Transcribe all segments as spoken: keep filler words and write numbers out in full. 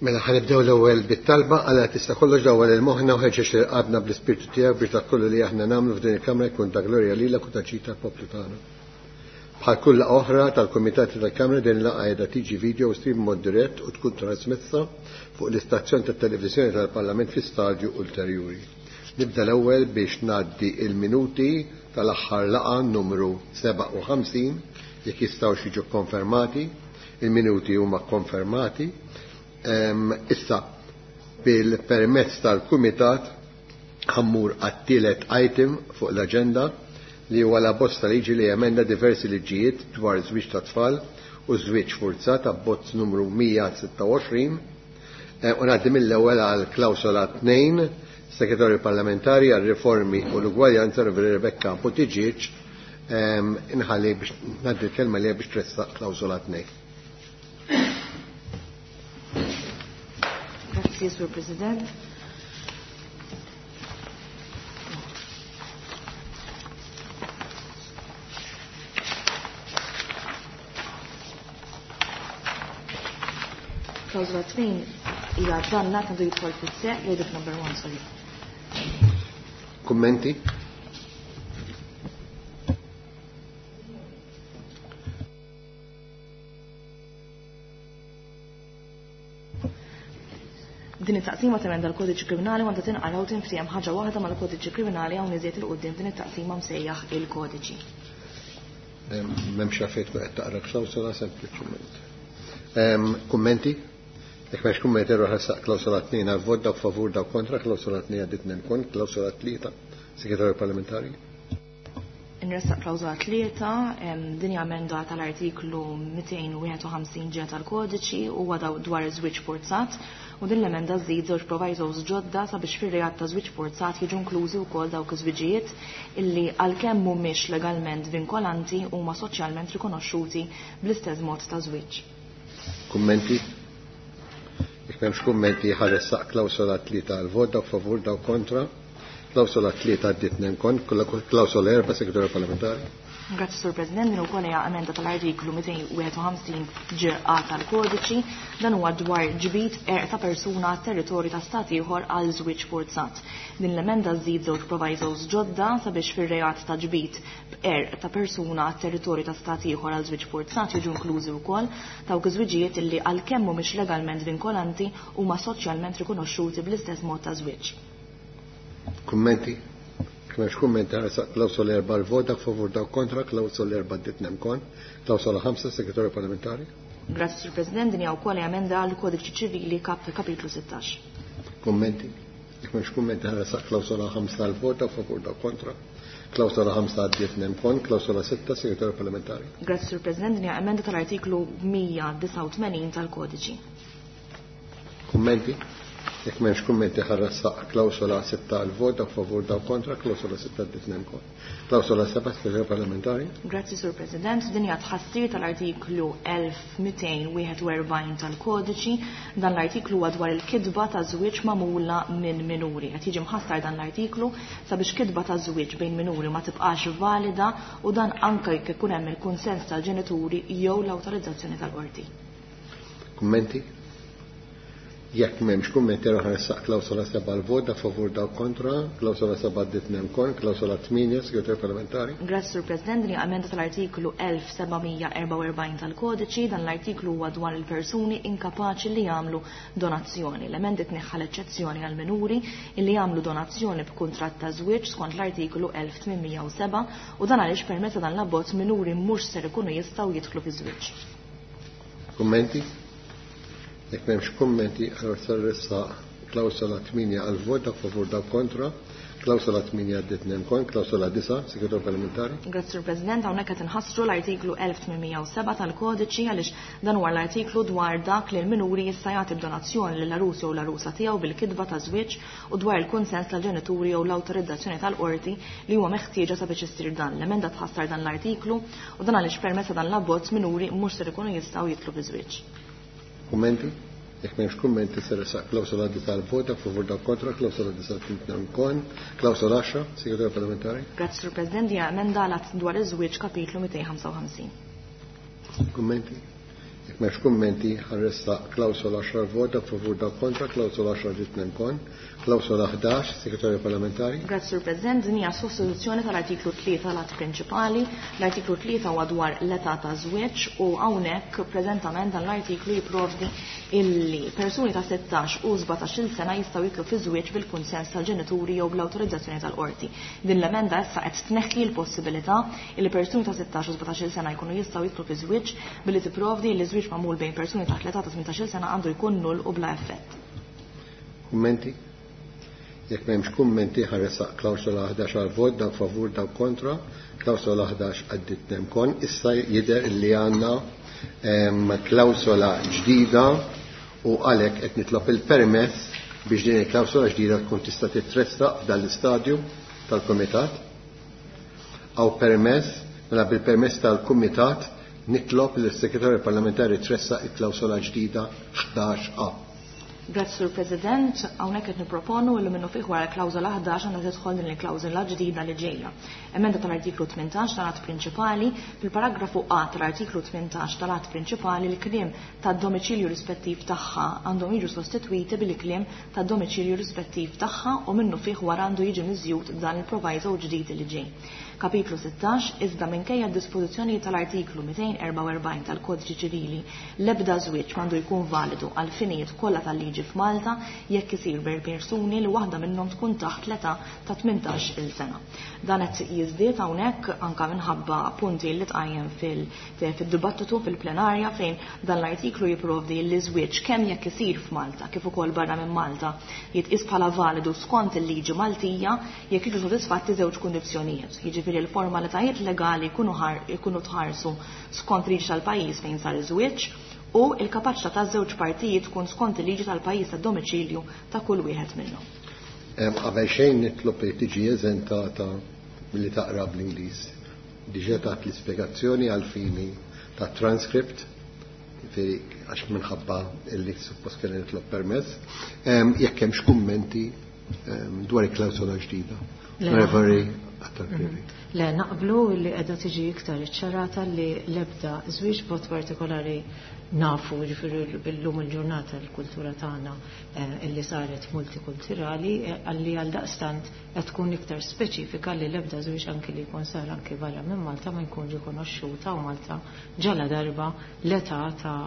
Mela ħa nibdew l-ewwel bit-talba. Alla tista' kollox, dawwal lil moħħna u ħeġġeġ lil qalbna bl-Ispirtu tiegħek biex dak kollu li aħna nagħmlu f'din il-Kamra jkun ta' glorja lilek u ta' ġid tal-poplu tagħna. Bħal kull laqgħa oħra tal-Kumitati tal-Kamra, din laqgħa qiegħda tiġi video stream mod dirett u tkun trasmessa fuq l-istazzjon tat-televiżjoni tal-Parlament fi stadju ulterjuri. Nibda l-ewwel biex ngħaddi il-minuti tal-aħħar laqgħa numru sebgħa u ħamsin jekk jistgħu jiġu konfermati. Il-minuti huma konfermati. Issa, bil-permezz tal-Kumitat, ħa mmur għat-tielet item fuq l-agenda, li huwa l-abbozz ta' liġi li jemenda diversi liġijiet dwar żwieġ ta' tfal u żwieġ forzat, abbozz numru mija u sitta u għoxrin, eh, u ngħaddi mill-ewwel għal klawsola tnejn, Segretarju Parlamentari għal Riformi u l-Ugwaljanza, Rebecca Buttigieg, inħalli biex ngħaddi l-kelma li biex tressaq klawsola tnejn. Grazzi, Sur President. Klawsola tnejn hija dan l-att għandu jidħol fis-seħħ, dik number one, sorry. Kummenti? Din it-taqsima temenda l-Kodiċi Kriminali, għandha tinqara u tinftiehem ħaġa waħda mal-Kodiċi Kriminali, hawn iżjed 'il quddiem din it-taqsima msejjaħ il-Kodiċi. M'hemmx għalfejn tkun qed taqra klawsola sempliċement. Kummenti? Jekk m'hemmx kummenti, irroħ klawsola tnejn għal vot. Dawk favur, dawk kontra. Klawsola tnejn għaddiet kon. Klawsola tlieta, Segretarju Parlamentari. Inressaq klawsola tlieta, din hija emenda tal-artiklu mitejn u wieħed u ħamsin Ġ tal-Kodiċi u huwa dwar iż-żwieġ forzat, u din l-emenda żżid żewġ provisos ġodda sabiex fir-reat ta' żwieġ forzat jiġu inklużi wkoll dawk iż-żwiġijiet illi għalkemm mhumiex legalment vinkolanti huma soċjalment rikonoxxuti bl-istess mod ta' żwieġ. Kummenti? Jekk m'hemmx kummenti, ħa ressaq klawsola tlieta għal vot. Dawk favur, dawk kontra. Klawsola tlieta għaddiet kon. Klawsola erba', Segretarju Parlamentari. Grazzi, Sur President. Din ukoll hija emenda tal-artiklu mitejn u wieħed u ħamsin Ġ A tal-Kodiċi. Dan huwa dwar ġbid b'qerq ta' persuna territorju ta' stat ieħor għal żwieġ forzat. Din l-emenda żżid żewġ provisos ġodda sabiex fir-reat ta' ġbid b'qerq ta' persuna territorju ta' stat ieħor għal żwieġ forzat jiġu inklużi wkoll dawk iż-żwiġijiet illi għalkemm mhumiex legalment vinkolanti huma soċjalment rikonoxxuti bl-istess mod ta' żwieġ. Kummenti? M'hemmx kummenti, klawsola erba' l-vot. Dawk favur, dawk kontra. Klawsola erba' għaddiet kon. Klawsola ħamsa, Segretarju Parlamentari. Grazzi, Sur President. Din hija wkoll emenda għal Kodiċi Ċivili kap kapitlu sittax. Kummenti? Jekk m'hemmx kummenti, ħa ressaq klawsola ħamsa l-vot. Dawk favur, dawk kontra. Klawsola ħamsa għaddiet kon. Klawsola sitta, Segretarju Parlamentari. Grazzi, Sur President. Din hija emenda tal-artiklu mija u disgħa u tmenin tal-Kodiċi. Kummenti? Jekk m'hemmx kummenti, ħa ressaq klawsola sitta għal vot. Dawk favur, dawk kontra. Klawsola sitta għaddiet kon. Klawsola seba', Segretarju Parlamentari. Grazzi, Sur President. Din hija tħassir tal-artiklu elf mitejn u wieħed u erbgħin tal-Kodiċi. Dan l-artiklu huwa dwar il-kitba ta' żwieġ magħmula minn minuri. Qed jiġi mħassar dan l-artiklu sabiex kitba ta' żwieġ bejn minuri ma tibqax valida, u dan anke jekk ikun hemm il-kunsens tal-ġenituri jew l-awtorizzazzjoni tal-qorti. Kummenti? Jekk m'hemmx kummenti, ħa ressaq klawsola seba' l-vot. Dawk favur, dawk kontra. Klawsola seba' għaddiet kon. Klawsola tmienja, Segretarju Parlamentari. Grazzi, Sur President. Din emenda tal-artiklu elf seba' mija u erbgħa u erbgħin tal-Kodiċi. Dan l-artiklu huwa dwar il-persuni inkapaċi li jagħmlu donazzjoni. L-emendi tneħħa l-eċċezzjoni għal minuri illi jagħmlu donazzjoni b'kuntratt ta' żwieġ skont l-artiklu elf tmien mija u sebgħa, u dan għaliex permezz dan l-abbozz minuri mhux ser ikunu jistgħu jidħlu fi żwieġ. Kummenti? Jekk m'hemmx kummenti, allora se ressaq klawsola tmienja għal vot. Dawk favur, dawk kontra. Klawsola tmienja għaddiet kon. Klawsola disgħa, Segretarju Parlamentari. Grazzi, Sur President. Hawnhekk qed inħassru l-artiklu elf tmien mija u sebgħa tal-Kodiċi għaliex dan huwa l-artiklu dwar dak li l-minuri jista' jagħti b'donazzjoni lill-għarus jew l-għarusa tiegħu bil-kitba ta' żwieġ u dwar il-kunsens tal-ġenituri jew l-awtorizzazzjoni tal-qorti li huwa meħtieġa sabiex issir dan. L-emenda tħassar dan l-artiklu, u dan għaliex permezz ta' dan l-abbozz minuri mhux ser ikunu jistgħu jidħlu fi żwieġ. Kummenti? Jekk m'hemmx kummenti, se ressaq klawsola disgħa l-vot. Dawk favur, dawk kontra. Klawsola disgħa għaddiet kon. Klawsola għaxra, Segretarju Parlamentari. Grazzi, Sur President. Hija emenda għal dwar iż-żwieġ kapitlu mitejn u ħamsa u ħamsin. Kummenti? Jekk m'hemmx kummenti, ħa nressaq klawsola għaxra vot, dak favur, dak kontra, klawsola għaxra ġiet nemkon. Klawsola ħdax, Segretarju Parlamentari. Grazzi, Sur President, din hija sostituzzjoni tal-artiklu tlieta tal-att prinċipali. L-artiklu tlieta huwa dwar l-età ta' żwieġ u hawnhekk preżentament dan l-artiklu jipprovdi illi persuni ta' sittax u sbatax-il sena jistgħu jitlu fi żwieġ bil-kunsens tal-ġenituri jew bl-awtorizzazzjoni tal-qorti. Din l-emenda issa qed tneħħi l-possibilità illi persuni ta' sittax u sbatax-il sena jkunu jistgħu jitlu fi żwieġ billi tipprovdi li żwieġ magħmul bejn persuni taħt l-età ta' tmintax-il sena għandu jkun null u bla effett. Kummenti? Jekk m'hemmx kummenti, ħa nressaq klawsola ħdax għal vot, dak favur, dak kontra, klawsola ħdax għaddit nemkon. Issa jidher li għandna klawsola ġdida u għalhekk qed nitlob il-permess biex din il-klawsola ġdida tkun tista' titressaq f'dan l-istadju tal-Kumitat. Aw permess, mela bil-permess tal-Kumitat nitlob lis-Segretarju Parlamentari tressaq il-klawsola ġdida ħdax A. Grazzi, Sur President, hawnhekk qed nipproponu li minnu fih wara l-klawżola ħdax għandha tidħol din il-klawżola ġdida li ġejja. Emenda tal-artiklu tmintax tal-att prinċipali, fil-paragrafu A tal-artiklu tmintax tal-att prinċipali l-kliem tad-domiċilju rispettiv tagħha għandhom jiġu sostitwiti bil-kliem tad-domiċilju rispettiv tagħha u minnu fih wara għandu jiġi miżjud dan il-proviso ġdid li ġej. Kapitlu sittax, iżda minkejja d-dispożizzjoni tal-artiklu mitejn erbgħa u erbgħin tal-Kodiċi Ċivili, l-ebda żwieġ m'għandu jkun validu għal finijiet kollha tal-liġi f'Malta jekk isir bejn persuni li waħda minnhom tkun taħt l-età ta' tmintax il sena. Dan qed jiżdied hawnhekk anke minħabba punti li tqajjem fil-dibattitu fil-plenarja fejn dan l-artiklu jipprovdi li żwieġ kemm jekk isir f'Malta kif ukoll barra minn Malta jitqies bħala validu skont il-liġi Maltija jekk jiġu sodisfatti żewġ kundizzjonijiet. Jiġifieri il-formalitajiet legali jkunu tħarsu skont liġi tal-pajjiż fejn sar iż-żwieġ u l-kapaċità taż-żewġ partijiet tkun skont il-liġi tal-pajjiż tad-domiċilju ta' kull wieħed minnhom. Qabel xejn nitlob li tiġi eżentata milli taqra bl-Ingliż. Diġà tat l-ispjegazzjoni għal fini ta' transcript, jiġifieri għax minħabba illi suppost kellna nitlob permess. Jekk hemmx kummenti dwar il-klawsola ġdida. Reverie Attard-Creevy. Le, naqblu li qiegħda tiġi iktar iċċarata li l-ebda żwieġ b'mod partikolari nafu, jiġifieri llum il-ġurnata l-kultura tagħna illi saret multikulturali, għalli għal daqstant qed tkun iktar speċifika li l-ebda żwieġ anki li jkun sar anki barra minn Malta ma jkun rikonoxxuta u Malta ġala darba l-età ta'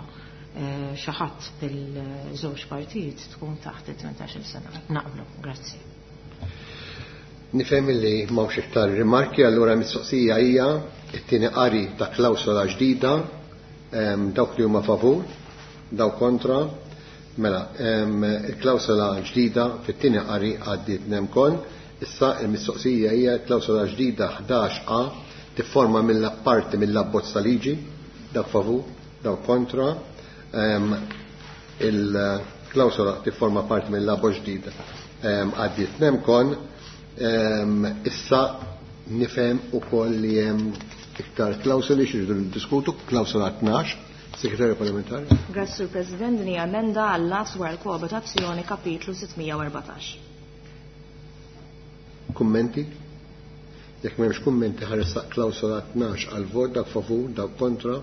xi ħadd bil-żewġ partijiet tkun taħt it-tmintax-il sena. Naqblu, grazzi. Nifhem li m'hawnx iktar rimarki, allura mistoqsija hija t-tieni qari ta' klawsola ġdida, dawk li huma favur, dawk kontra. Mela, il-klawsola ġdida fit-tieni qari għaddiet nemkon. Issa il-mistoqsija hija klawsola ġdida ħdax A tifforma mill-parti mill-abbozz ta' liġi, dawk favur, dawk kontra. Il-klawsola tifforma parti mill-abbozz ġdida għaddiet nemkon. Issa nifhem ukoll li hemm iktar klawsoli xi rridu niddiskutu, klawsola tnax, Segretarju Parlamentari. Grazzi, Sur President, din hija emenda għall-att dwar il-koabitazzjoni kapitlu sittmija u erbatax. Kummenti? Jekk m'hemmx kummenti ħa nressaq klawsola tnax għal vot, dak favur, dak kontra,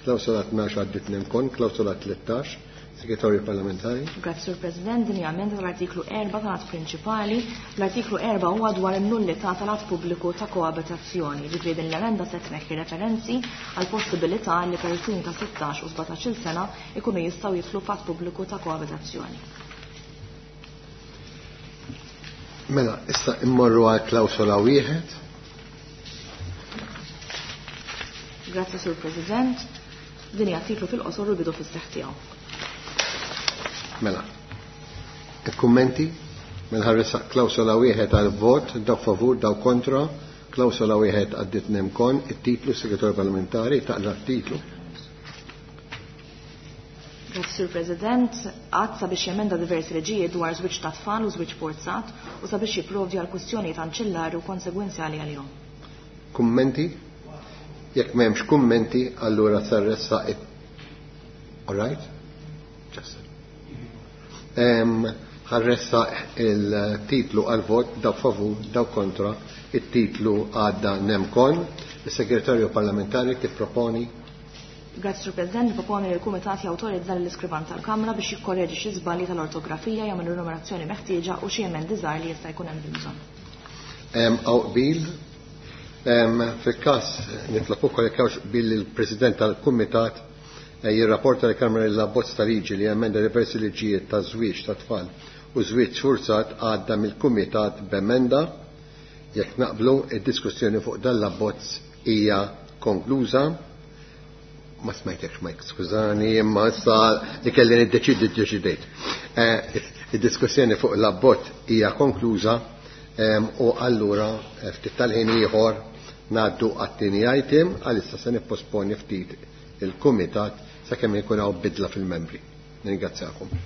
klawsola tnax għaddiet nemkon, klawsola tlettax, Segretarju Parlamentari. Grazzi, Sur President, din hija emenda tal-artiklu erba' tal-att prinċipali. L-artiklu erba' huwa dwar in-nullità tal-att pubbliku ta' koabitazzjoni. Ġifieri din l-emenda se tneħħi referenzi għal possibilità li persuni ta' sittax u sbatax-il sena ikunu jistgħu jidħlu f'att pubbliku ta' koabitazzjoni. Mela, issa immorru għal klawsola wieħed. Grazzi, Sur President. Din hija titlu fil-qosor u bidu fis-seħħ tiegħu. Mela, il-kummenti? Mela ħa nressaq klawsola wieħed għal vot, dawk favur, dawk kontra, klawsola wieħed għaddit nemkon, it-titlu Segretarju Parlamentari, taqra t-titlu. Grazzi, Sur President, għad sabiex jemenda diversi liġijiet dwar żwieġ ta' tfal u żwieġ forzat u sabiex jipprovdi għal kwistjonijiet anċillari u konsegwenzjali għalihom. Kummenti? Jekk m'hemmx kummenti, allura se nressaq it- All right? Just. Ħa nressaq il-titlu għal vot, daw favur, daw kontra, it-titlu għadda nemkon. Il-Segretarju Parlamentari tipproponi Grazzi Sur President, niproponi li l-Kumitat jawtorizza l-iskrivan tal-Kamra biex jikkorreġi xi żbalji tal-ortografija jagħmel numerazzjoni meħtieġa u xi emendi żgħar li jista' jkun hemm bżonn. Hawn qbil. Fil-każ nitlob ukoll jekk hawnx qbil il-President tal-Kumitat eh, jirrapporta l-Kamra l-abbozz ta' liġi li emenda diversi liġijiet ta' żwieġ ta' tfal u żwieġ sfurzat għadda mill-Kumitat b'emenda. Jekk naqblu, id-diskussjoni fuq dan l-abbozz hija konkluża. Ma smajtekx Mike, skużani, imma issa li kelli niddeċidi ddeċidejt. Eh, id-diskussjoni fuq l-abbozz hija konkluża u allura eh, ftit tal-ħin ieħor ngħaddu għat-tieni item, għalissa se nipposponi ftit il-kumitat sakemm ikun hawn bidla fil-membri. Nirringrazzjakom.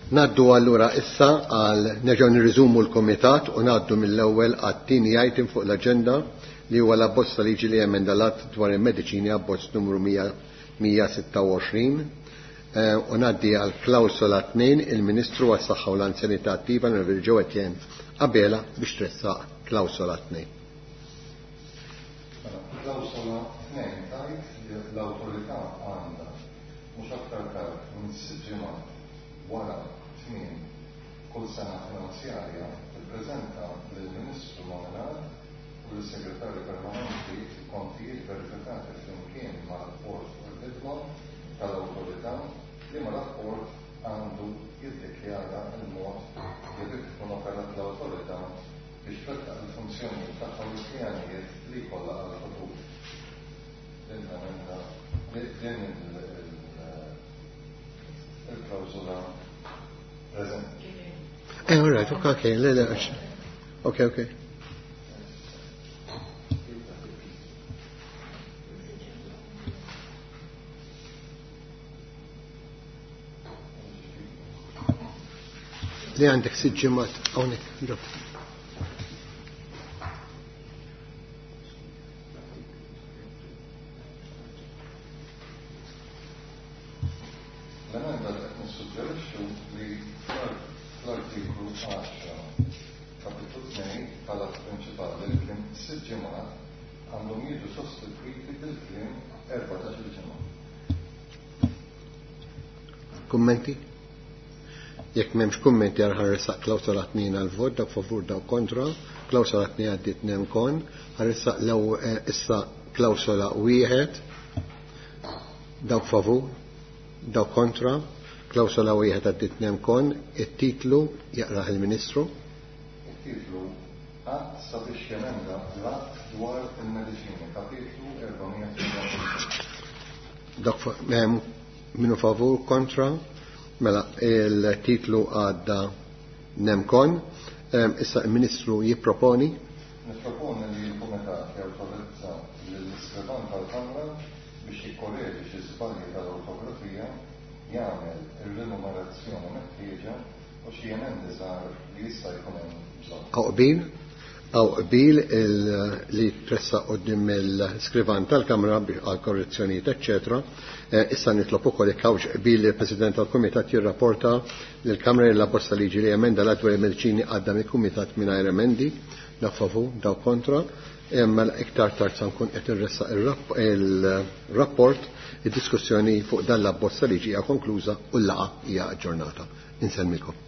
Naddu allura issa għal nerġgħu nirriżumu l-Kumitat u ngħaddu mill-ewwel għat-tieni item fuq l-aġenda li huwa l-abbozz ta' liġi li emenda l-att dwar il-mediċini abbozz numru mija sitta u għoxrin. U ngħaddi għal klawsola tnejn il-Ministru għas-Saħħa u l-Anzjanità Attiva l-Onorevoli Jo Etienne Abela biex tressaq klawsola tnejn. Klawsola tnejn tgħid li l-awtorità għandha mhux aktar tard minn sitt ġimgħat wara tmiem kull sena finanzjarja tippreżenta lill-Ministru nominat u lill-Segretarju Permanenti kontijiet verifikati flimkien ma' rapport fuq il-ħidma tal-awtorità li ma' rapport għandu jiddikjara il-mod li bih tkun operat l-awtorità biex twettaq il-funzjonijiet tagħha u l-pjanijiet li jkollha għall-futur. Din l-emenda, din il-klawżola preżenti. Eh, all right, okay, okay, le, le, okay, okay. Li għandek sitt ġimgħat hawnhekk, ġob. L-emenda li qed nissuġġerixxu li fl-artiklu għaxra kapitlu tnejn tal-att prinċipali li kliem sitt ġimgħat għandhom jiġu sostitwiti bil-kliem erbatax-il ġimgħa. Kummenti? Jekk m'hemmx kummenti għal ħarresaq klawsola tnejn għal vot, dak favur dawk kontra, klawsola tnejn għaddiet tnejn kon, ħarresaq l-ewwel issa klawsola wieħed, dawk favur, dawk kontra, klawsola wieħed għaddiet tnejn kon, it-titlu jaqrah il-Ministru. It-titlu Att sabiex jemenda l-att dwar il-mediċini, kapitlu erba' tmien. Dak minu favur kontra, mela il-titlu għadda nemkon. Issa il-Ministru jipproponi. Nipproponi li l-Kumitat jawtorizza lill-iskrivan tal-Kamra biex jikkoreġi xi żbalji tal-ortografija, jagħmel ir-rinumerazzjoni meħtieġa u xi emendi żgħar li jista' jkun hemm bżonn. Hawn qbil? Hawn qbil li tressaq quddiem il-skrivan tal-Kamra għal korrezzjonijiet, eċċetera. Issa nitlob ukoll jekk hawnx qbil li l-President tal-Kumitat jirrapporta lill-Kamra li l-abbozz liġi li emenda l-att dwar il-mediċini għadda mill-Kumitat mingħajr emendi, dak favur, dawk kontra. Imma iktar tard sa nkun qed irressaq il-rapport, id-diskussjoni fuq dan l-abbozz liġi hija konkluża u l-laqgħa hija aġġornata. Insellmilkom.